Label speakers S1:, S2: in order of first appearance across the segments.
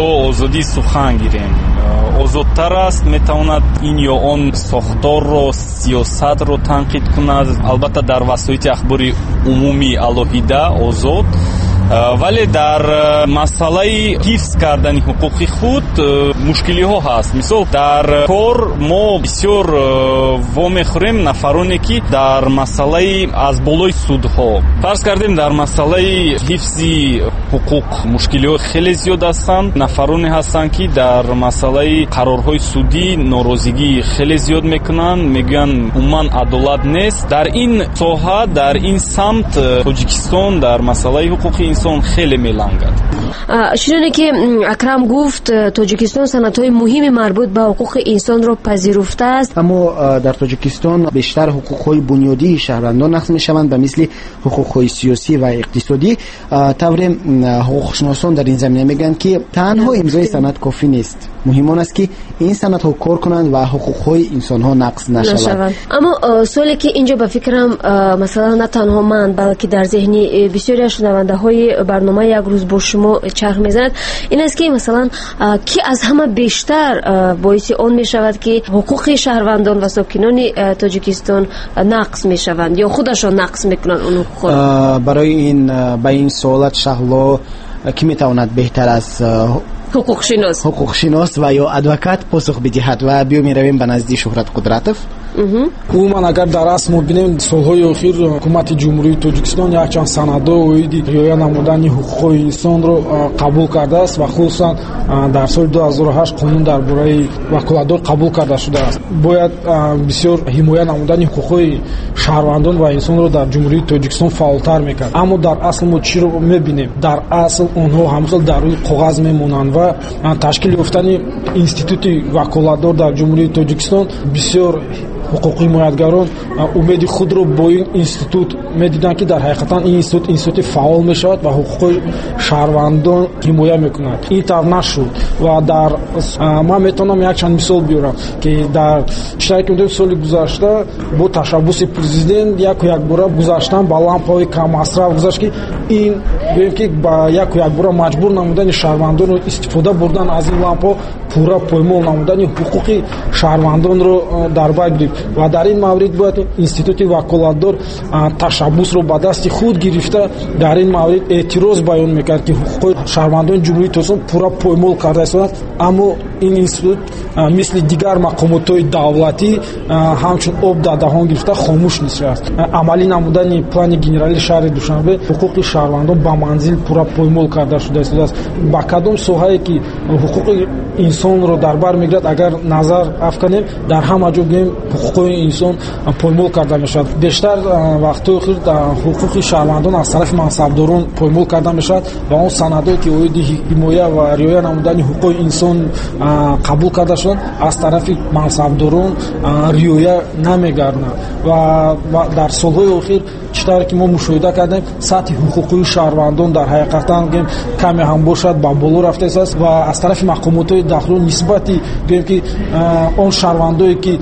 S1: Ё озодии сухан гирем, озодтар аст, метавонад ин ё он сохторро, сиёсатро танқид кунад, албатта дар васоити ахбори умумӣ алоҳида озод, вале дар масъалаи ҳифз кардани ҳуқуқи худ мушкилиҳо ҳаст. Мисол, дар кор мо бисёр вомехӯрем нафароне, ки дар масъалаи аз болои судҳо, фарз кардем, дар масъалаи ҳифзи ҳуқуқ мушкилиҳо хеле зиёд ҳастанд. Нафароне ҳастанд, ки дар масъалаи қарорҳои судӣ норозигӣ хеле зиёд мекунанд, мегӯянд умуман адолат нест. Дар ин соҳа, дар ин самт Тоҷикистон дар масъалаи ҳуқуқи инсон хеле мелангад.
S2: Чуноне ки Акрам гуфт, Тоҷикистон санадҳои муҳими марбут ба ҳуқуқи инсонро пазируфтааст.
S3: Аммо дар Тоҷикистон бештар ҳуқуқҳои бунёдии шаҳрвандон нақз мешаванд, ба мисли ҳуқуқҳои сиёсӣ ва иқтисодӣ. Тавре ҳуқуқшиносон дар ин замина мегӯянд, ки танҳо имзои санад кофӣ нест, муҳим он аст, ки ин санадҳо кор кунанд ва ҳуқуқҳои инсонҳо нақз нашаванд.
S2: Аммо суоле ки инҷо ба фикрам, масалан, на танҳо ман, балки дар зеҳни бисёри аз шунавандаҳои барномаи «Як рӯз бо шумо» чарх мезанад, ин аст, ки масалан, ки аз ҳама бештар боиси он мешавад, ки ҳуқуқи шаҳрвандон ва сокинони Тоҷикистон нақз мешаванд ё худашон нақз мекунанд он ҳуқуқро?
S3: Барои ин ба ин суолат, Шаҳло, кӣ метавонад беҳтар аз ҳуқуқшинос ва ё адвокат посух бидиҳад? Ва биё меравем ба назди Шуҳрат Қудратов.
S4: Умуман, агар дар асл мо бинем, солҳои охир ҳукумати Ҷумҳурии Тоҷикистон якчанд санадҳо оиди риоя намудани ҳуқуқҳои инсонро қабул кардааст ва хусусан дар соли 2008 қонун дар бораи ваколатдор қабул карда шудааст. Бояд бисёр ҳимоя намудани ҳуқуқҳои шаҳрвандон ва инсонро дар Ҷумҳурии Тоҷикистон фаъолтар мекард. Аммо дар асл мо чиро мебинем? Дар асл онҳо ҳамхел дар рӯи коғаз мемонанд ва ташкил ёфтани институти ваколатдор дар Ҷумҳурии Тоҷикистон, бисёр ҳуқуқҳимоятгарон умеди худро бо ин институт медиданд, ки дар ҳақиқатан ин институт институти фаъол мешавад ва ҳуқуқҳои шаҳрвандон ҳимоя мекунад. Ин тавр нашуд ва дар ман метавонам якчанд мисол биёрам, ки дар чизе ки медонем, соли гузашта бо ташаббуси президент яку якбора гузаштан ба лампаҳои каммасраф гузашт, ки ин гӯем, ки ба яку якбора маҷбур намудани шаҳрвандонро истифода бурдан аз ин лампаҳо, пурра поймол намудани ҳуқуқи шаҳрвандонро дар бар гирифт. Ва дар ин маврид бояд институти ваколатдор ташаббусро ба дасти худ гирифта, дар ин маврид эътироз баён мекард, ки ҳуқуқҳои шаҳрвандони Ҷумҳурии Тоҷикистон пурра поймол карда истодааст. Аммо ин институт мисли дигар мақомотҳои давлатӣ ҳамчун об дар даҳон гирифта хомӯш нишаст. Амалӣ намудани плани генералии шаҳри Душанбе, ҳуқуқи шаҳрвандон ба манзил пурра поймол карда шуда истодааст. Ба кадом соҳае ки ҳуқуқи инсонро дар бар мегирад, агар назар афканем, дар ҳама ҷо гӯем ҳуқуқҳои инсон поймол карда мешавад. Бештар вақтҳои охир ҳуқуқи шаҳрвандон аз тарафи мансабдорон поймол карда мешавад ва он санадҳое ки оиди ҳимоя ва риоя намудани ҳуқуқи инсон қабул карда шуданд, аз тарафи мансабдорон риоя намегарданд. Ва дар солҳои охир, чӣ тавре ки мо мушоҳида кардем, сатҳи ҳуқуқии шаҳрвандон дар ҳақиқатан гӯем каме ҳам бошад ба боло рафта истодааст ва аз тарафи мақомотҳои дахлдор нисбати гӯем ки он шаҳрвандое ки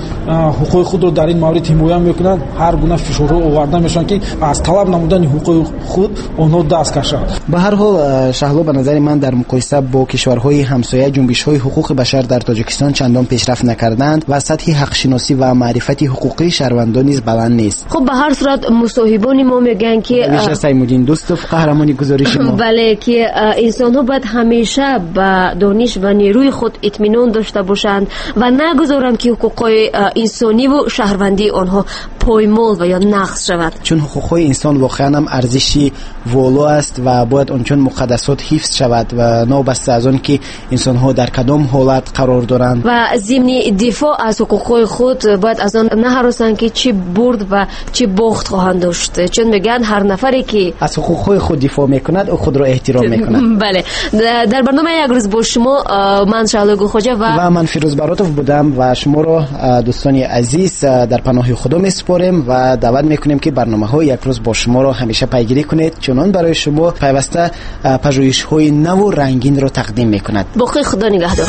S4: ҳуқуқи худро дар ин маврид ҳимоя мекунанд, ҳар гуна фишорҳо оварда мешаванд, ки аз талаб намудани ҳуқуқи худ онҳо даст кашанд.
S3: Ба ҳар ҳол, Шаҳло, ба назари ман, дар муқоиса бо кишварҳои ҳамсоя ҷунбишҳои ҳуқуқи башар дар Тоҷикистон чандон пешрафт накарданд ва сатҳи ҳақшиносӣ ва маърифати ҳуқуқии шаҳрвандон низ баланд нест.
S2: Хуб, ба ҳар сурат мусоҳибони мо мегӯянд, ки
S3: вижа Саймуддин Дӯстов, қаҳрамони гузориши мо,
S2: бале, ки инсонҳо бояд ҳамеша ба дониш ва нерӯи худ итминон дошта бошанд ва нагузоранд, ки ҳуқуқҳои инсониву шаҳрвандии онҳо поймол ва ё нақз шавад.
S3: Чун ҳуқуқҳои инсон воқеан ҳам арзиши воло аст ва бояд он чун муқаддасот ҳифз шавад ва новобаста аз он ки инсонҳо дар кадом ҳолат қарор доранд.
S2: Ва зимни дифоъ аз ҳуқуқҳои худ бояд аз он наҳаросанд, ки чӣ бурд ва чӣ бохт хоҳанд дошт, чун мегӯянд ҳар нафаре ки
S3: аз ҳуқуқҳои худ дифоъ мекунад, ӯ худро эҳтиром мекунад.
S2: Бале, дар барномаи «Як рӯз бо шумо» ман Шаҳло Гулхоҷа
S3: ва ман Фирӯз Баротов будам ва шуморо, дӯстони азиз, дар паноҳи Худо месупорем ва даъват мекунем, ки барномаҳои «Як рӯз бо шуморо ҳамеша пайгирӣ кунед, чунон барои шумо пайваста пажӯҳишҳои наву рангинро тақдим мекунад.
S2: Боқӣ Худо нигаҳдор.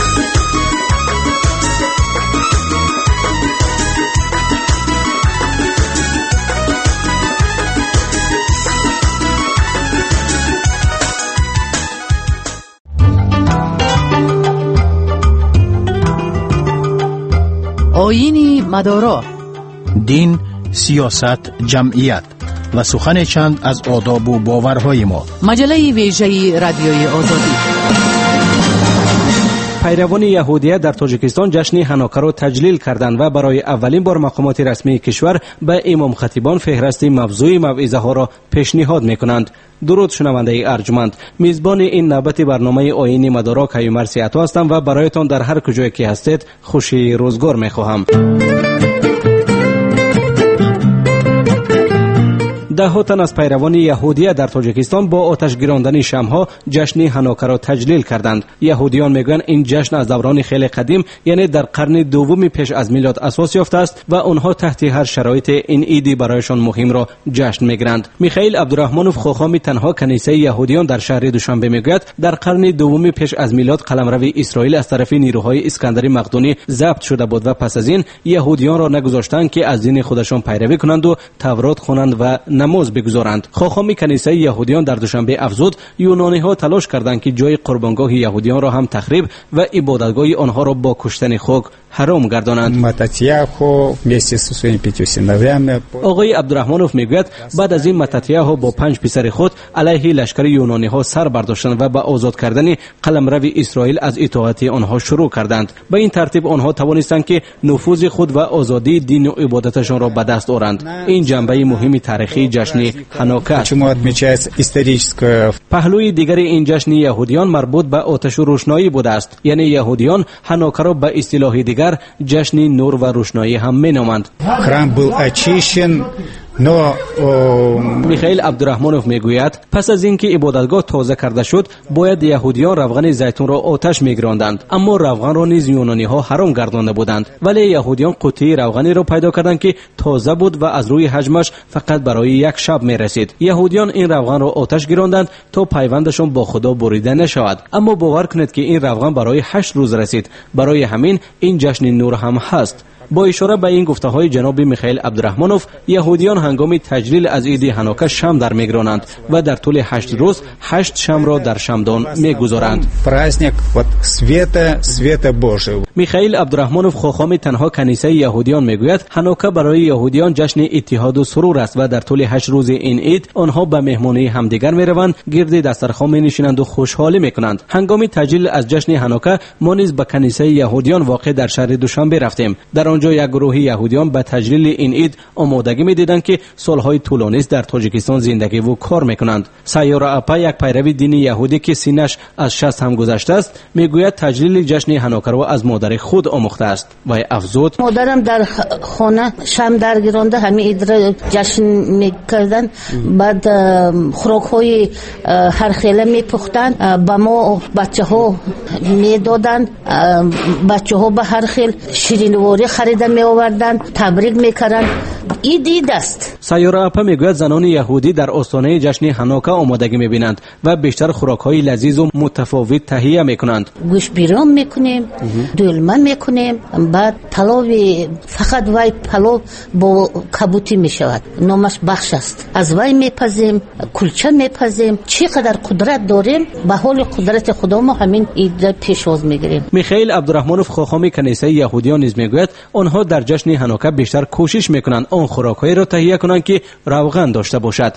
S5: Оини мадоро.
S6: Дин, сиёсат, ҷамъият ва сухане чанд аз одобу боварҳои мо.
S5: Маҷаллаи вежаи Радиои Озодӣ.
S7: Пайравони яҳудия дар Тоҷикистон ҷашни Ҳанокаро таҷлил карданд ва барои аввалин бор мақомоти расмии кишвар ба имомхатибон феҳрасти мавзӯи мавъизаҳоро пешниҳод мекунанд. Дуруд, шунавандаи арҷманд. Мизбони ин навбати барномаи Оини мадоро Каюмар Сиато ҳастам ва бароятон дар ҳар куҷое ки ҳастед хушии рӯзгор мехоҳам. Даҳҳо тан аз пайравони яҳудия дар Тоҷикистон бо оташ гирондани шамъҳо ҷашни Ҳанокаро таҷлил карданд. Яҳудиён мегӯянд, ин ҷашн аз даврони хеле қадим, яъне дар қарни дуввуми пеш аз милод асос ёфтааст ва онҳо таҳти ҳар шароите ин иди барояшон муҳимро ҷашн мегиранд. Михаил Абдураҳмонов, хохоми танҳо канисаи яҳудиён дар шаҳри Душанбе, мегӯяд, дар қарни дуввуми пеш аз милод қаламрави Исроил аз тарафи нирӯҳои Искандари Мақдунӣ забт шуда буд ва пас аз ин яҳудиёнро нагузоштанд, ки аз дини худашон пайравӣ кунанду Таврот хонанд ва намоз бигузоранд. Хохоми канисаи яҳудиён дар Душанбе афзуд, юнониҳо талош карданд, ки ҷои қурбонгоҳи яҳудиёнро ҳам тахриб ва ибодатгоҳи онҳоро бо куштани хук ҳаром гардонанд. Оғои Абдураҳмонов мегӯяд, баъд аз ин Мататияҳо бо 5 писари худ алайҳи лашкари юнониҳо сар бардоштанд ва ба озод кардани қаламрави Исроил аз итоати онҳо шурӯъ карданд. Ба ин тартиб онҳо тавонистанд, ки нуфузи худ ва озодии дину ибодаташонро ба даст оранд. Ин ҷанбаи муҳими таърихии ҷашни Ҳанока аст. Паҳлӯи дигари ин ҷашни яҳудиён марбут ба оташу рӯшноӣ будааст. Яъне яҳудиён Ҳанокаро ба истилоҳи дигар ҷашни нур ва рӯшноӣ ҳам меноманд.
S8: Храм был очищен, но
S7: Михаил Абдураҳмонов мегӯяд, пас аз ин ки ибодатгоҳ тоза карда шуд, бояд яҳудиён равғани зайтунро оташ мегиронданд, аммо равғанро низ юнониҳо ҳаром гардонда буданд. Вале яҳудиён қуттии равғаниро пайдо карданд, ки тоза буд ва аз рӯи ҳаҷмаш фақат барои як шаб мерасид. Яҳудиён ин равғанро оташ гиронданд, то пайвандашон бо Худо бурида нашавад. Аммо бовар кунед, ки ин равған барои 8 рӯз расид. Барои ҳамин ин ҷашни нур ҳам ҳаст. Бо ишора ба ин гуфтаҳои ҷаноби Михаил Абдураҳмонов, яҳудиён ҳангоми таҷлил аз иди Ҳанока шам дар мегиронанд ва дар тӯли 8 рӯз 8 шамро дар шамдон мегузоранд.
S8: Праздник вот света, света Божьего.
S7: Михаил Абдураҳмонов, хохоми танҳо канисаи яҳудиён, мегӯяд, Ҳанока барои яҳудиён ҷашни иттиҳоду сурур аст ва дар тӯли 8 рӯзи ин ид онҳо ба меҳмонии ҳамдигар мераванд, гирди дастархон менишинанду хушҳолӣ мекунанд. Ҳангоми таҷлил аз ҷашни Ҳанока мо низ ба канисаи яҳудиён воқеъ дар шаҳри Душанбе рафтем. Дар он ҷо як гурӯҳи яҳудиён ба таҷлили ин ид омодагӣ медиданд, ки солҳои тӯлонист дар Тоҷикистон зиндагиву кор мекунанд. Сайёра апа, як пайрави дини яҳудӣ, ки синнаш аз 60 ҳам гузаштааст, мегӯяд, таҷлили ҷашни Ҳанокаро аз модари худ омӯхтааст. Вай афзуд:
S9: модарам дар хона шам даргиронда ҳамин идро ҷашн мекарданд. Баъд хӯрокҳои ҳархела мепухтанд, ба мо бачаҳо медоданд. Бачаҳо ба ҳар хел ширинворӣ харида меоварданд, табрик мекарданд. Ид ид аст.
S7: Сайёра апа мегӯяд, занони яҳудӣ дар остонаи ҷашни Ҳанока омодагӣ мебинанд ва бештар хӯрокҳои лазизу мутафовит таҳия мекунанд.
S9: Гӯшбирён мекунем, дӯлма мекунем, баъд палови, фақат вай палов бо кабутӣ мешавад, номаш бахш аст. Аз вай мепазем, кулча мепазем. Чӣ қадар қудрат дорем, ба ҳоли қудрати Худо мо ҳамин идра пешвоз мегирем.
S7: Михаил Абдураҳмонов, хохоми канисаи яҳудиён, низ мегӯяд, онҳо дар ҷашни Ҳанока бештар кӯшиш мекунанд он хӯрокҳоеро таҳия кунанд, ки равған дошта бошад.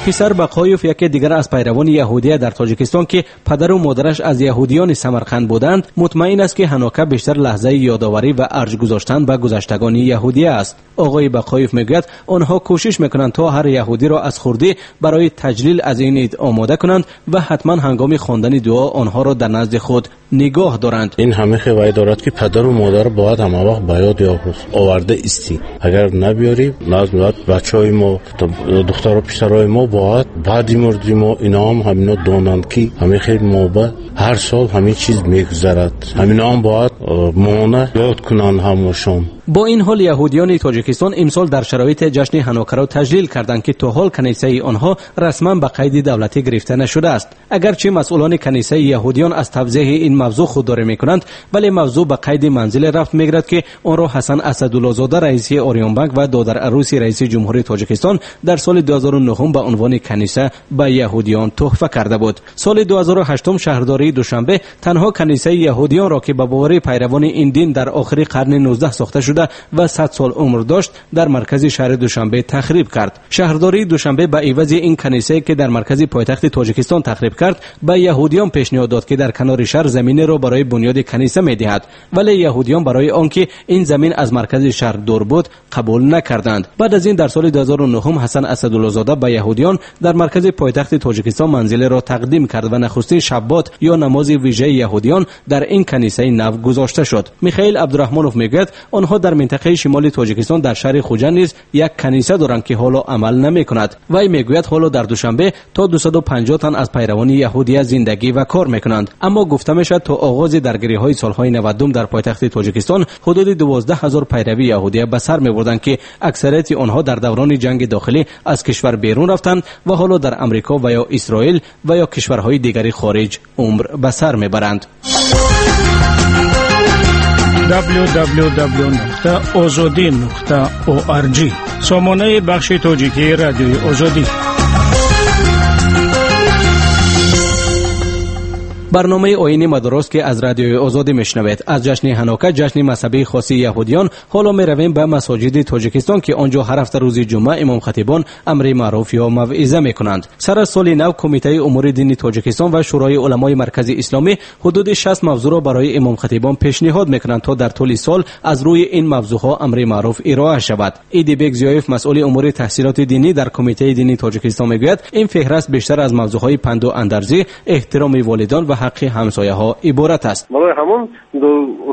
S7: Писар Бақоев, яке дигар аз пайравони яҳудия дар Тоҷикистон, ки падару модараш аз яҳудиёни Самарқанд буданд, мутмаин аст, ки Ҳанока бештар лаҳзаи ёдоварӣ ва арҷ гузоштан ба гузаштагони яҳудия аст. Оғои Бақоев мегӯяд, онҳо кӯшиш мекунанд, то ҳар яҳудиро аз хурдӣ барои таҷлил аз ин ид омода кунанд ва ҳатман ҳангоми хондани дуо онҳоро дар назди худ нигоҳ доранд.
S10: Ин ҳама вай дорад, ки падару модар бояд ҳама вақт ба ёд оварда истӣ. Агар набиёрӣ, назд бачаҳои мо, духтару писарои мо бояд баъди мурди мо иноам ҳамино донанд, ки ҳамин хел мо ба ҳар сол ҳамин чиз мегузарад. Ҳаминоам бояд мона ёд кунанд ҳамашон.
S7: Бо ин ҳол яҳудиёни Тоҷикистон имсол дар шароити ҷашни Ҳанокаро таҷлил карданд, ки то ҳол канисаи онҳо расман ба қайди давлатӣ гирифта нашудааст. Агарчи масъулони канисаи яҳудиён аз тавзеҳи ин мавзӯъ худдорӣ мекунанд, вале мавзӯъ ба қайди манзиле рафт мегирад, ки онро Ҳасан Асадуллозода, раиси Ориёнбанк ва додарарӯси раиси ҷумҳурии Тоҷикистон дар соли 2009 ба унвони каниса ба яҳудиён туҳфа карда буд. Соли 2008 шаҳрдории Душанбе танҳо канисаи яҳудиёнро, ки ба бовари пайравони ин дин дар охири қарни 19 сохта шуда ва 100 сол умр дошт, дар маркази шаҳри Душанбе тахриб кард. Шаҳрдории Душанбе ба ивази ин канисае, ки дар маркази пойтахти Тоҷикистон тахриб кард, ба яҳудиён пешниҳод дод, ки дар канори шаҳр заминеро барои бунёди каниса медиҳад. Вале яҳудиён барои он ки ин замин аз маркази шаҳр дур буд, қабул накарданд. Баъд аз ин дар соли 2009 Ҳасан Асадуллозода ба яҳудиён дар маркази пойтахти Тоҷикистон манзилеро тақдим кард ва нахустин шаббот ё намози вижаи яҳудиён дар ин канисаи нав гузошта шуд. Михаил Абдурахмонов мегӯяд, онҳо дар минтақаи шимоли Тоҷикистон дар шаҳри Хуҷанд низ як каниса доранд, ки ҳоло амал намекунад. Вай мегӯяд, ҳоло дар Душанбе то 250 тан аз пайравони яҳудия зиндагӣ ва кор мекунанд. Аммо гуфта мешавад, то оғози даргириҳои солҳои 90 дар пойтахти Тоҷикистон ҳудуди 12 000 пайрави яҳудия ба сар мебурданд, ки аксарияти онҳо дар даврони ҷанги дохилӣ аз кишвар берун рафтанд ва ҳоло дар Амрико ва ё Исроил ва ё кишварҳои дигари хориҷ умр ба сар мебаранд.
S6: www.ozodi.org сомонаи бахши тоҷикии Радиои Озодӣ.
S7: Барномаи оини мадорост, ки аз Радиои Озодӣ мешунавед. Аз ҷашни Ҳанока, ҷашни мазҳабии хоси яҳудиён, ҳоло меравем ба масоҷиди Тоҷикистон, ки он ҷо ҳар ҳафта рӯзи ҷумъа имомхатибон амри маъруф ё мавъиза мекунанд. Сар аз соли нав Кумитаи умури дини Тоҷикистон ва Шӯрои уламои Маркази Исломӣ ҳудуди 60 мавзӯъро барои имомхатибон пешниҳод мекунанд, то дар тӯли сол аз рӯи ин мавзӯъҳо амри маъруф ироа шавад. Идибек Зиёев, масъули умури таҳсилоти динӣ дар Кумитаи дини Тоҷикистон, мегӯяд, ин феҳраст бештар аз мавзӯъҳои панду андарзӣ, эҳтироми волидон ва ҳаққи ҳамсояҳо иборат аст.
S11: Барои ҳамон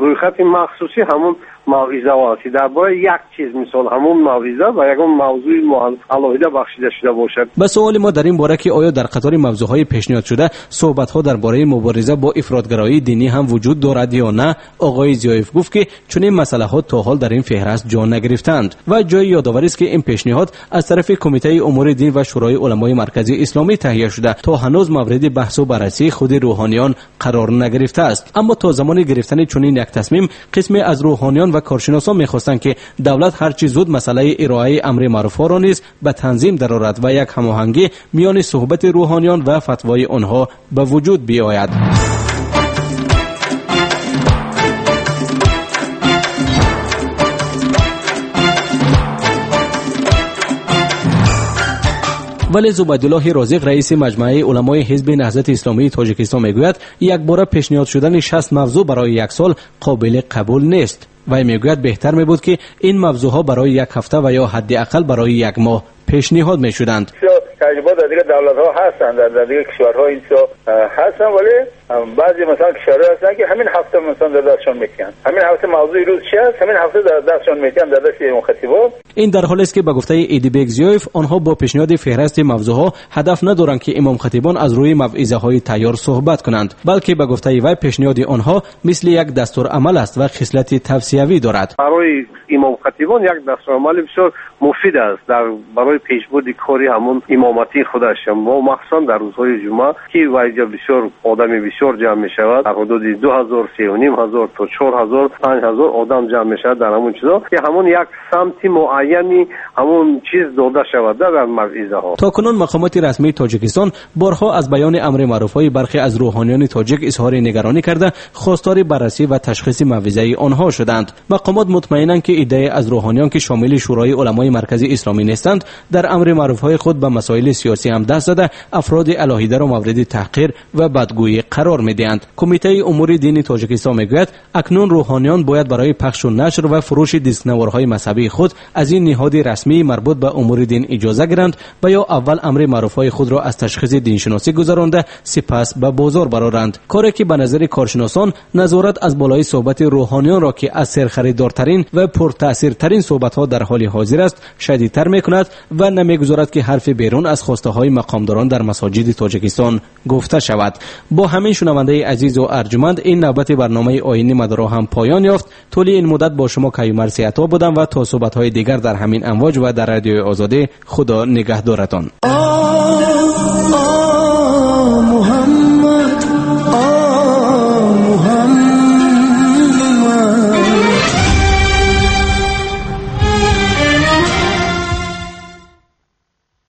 S11: рӯйхати махсуси ҳамон мавъизаҳо аст, ки дар бораи як чиз, мисол, ҳамон мавъиза ба ягон мавзӯи алоҳида бахшида шуда бошад.
S7: Ба суоли мо дар ин бора, ки оё дар қатори мавзӯъҳои пешниҳодшуда суҳбатҳо дар бораи мубориза бо ифротгароии динӣ ҳам вуҷуд дорад ё на, оғои Зиёев гуфт, ки чунин масъалаҳо то ҳол дар ин феҳраст ҷо нагирифтаанд. Ва ҷои ёдоварист, ки ин пешниҳод аз тарафи Кумитаи умури дин ва Шӯрои уламои Маркази Исломӣ таҳия шуда, то ҳанӯз мавриди баҳсу баррасии худи рӯҳониён қарор нагирифтааст. Аммо то замони гирифтани чунин як тасмим қисме аз рӯҳониён ва коршиносон мехостанд, ки давлат ҳарчи зуд масъалаи ироаи амри маъруфҳоро низ ба танзим дарорад ва як ҳамоҳангӣ миёни суҳбати рӯҳониён ва фатвои онҳо ба вуҷуд биёяд. Вале Зубайдуллоҳи Розиқ, раиси Маҷмааи уламои Ҳизби Наҳзати Исломии Тоҷикистон, мегӯяд, якбора пешниҳод шудани 60 мавзӯъ барои як сол қобили қабул нест. Вай мегӯяд, беҳтар мебуд, ки ин мавзӯъҳо барои як ҳафта ва ё ҳадди ақал барои як моҳ пешниҳод мешуданд.
S12: Таҷриба дар дигар давлатҳо ҳастанд, дар дигар кишварҳо ин чизҳо ҳастанд, вале баъзе, масалан, кишварҳо ҳастанд, ки ҳамин ҳафта, масалан, дар дастшон метиҳанд. Ҳамин ҳафта мавзӯи рӯз чи аст, ҳамин ҳафта дар дастшон метиҳанд, дар дасти имомхатибо.
S7: Ин дар ҳолест, ки ба гуфтаи Идибек Зиёев, онҳо бо пешниҳоди феҳрасти мавзӯъҳо ҳадаф надоранд, ки имомхатибон аз рӯи мавъизаҳои тайёр суҳбат кунанд, балки ба гуфтаи вай пешниҳоди онҳо мисли як дастурамал аст ва хислати тавсиявӣ дорад.
S11: Барои имомхатибон як дастурамали бисёр муфид аст дар барои пешбурди кори ҳамон имоматии худаш, мо махсусан дар рӯзҳои ҷумъа, ки вайҷа бисёр одами бисёр ҷамъ мешавад, дар ҳудуди 2000, 3500 то 4000, 5000 одам ҷамъ мешавад дар ҳамон чизо, ки ҳамон як самти муайяни ҳамон чиз дода шавад дар мавъизаҳо.
S7: То кунун мақомоти расмии Тоҷикистон борҳо аз баёни амри маъруфҳои бархе аз рӯҳониёни тоҷик изҳори нигаронӣ карда, хостори баррасӣ ва ташхиси мавъизаи онҳо шуданд. Мақомот мутмаинанд, ки иддае аз рӯҳониён, ки шомили Шӯрои уламои Маркази Исломӣ нестанд, дар амри маъруфҳои худ ба масоили сиёсӣ ҳам даст зада, афроди алоҳидаро мавриди таҳқир ва бадгӯӣ қарор медиҳанд. Кумитаи умури дини Тоҷикистон мегӯяд, акнун рӯҳониён бояд барои пахшу нашр ва фурӯши дискнаворҳои мазҳабии худ аз ин ниҳоди расмии марбут ба умури дин иҷоза гиранд ва ё аввал амри маъруфҳои худро аз ташхиси диншиносӣ гузаронда, сипас ба бозор бароранд. Коре ки ба назари коршиносон назорат аз болои суҳбати рӯҳониёнро, ки аз серхаридортарин ва пуртаъсиртарин суҳбатҳо дар ҳоли ҳозир аст, шадидтар мекунад ва намегузорад, ки ҳарфи берун гуногун аз хостаҳои мақомдорон дар масоҷиди Тоҷикистон гуфта шавад. Бо ҳамин, шунавандаи азизу арҷуманд, ин навбати барномаи Оини Мадоро ҳам поён ёфт. Тӯли ин муддат бо шумо Каюмар Сиато будам ва то суҳбатҳои дигар дар ҳамин амвоҷ ва дар Радиои Озодӣ, Худо нигаҳдоратон.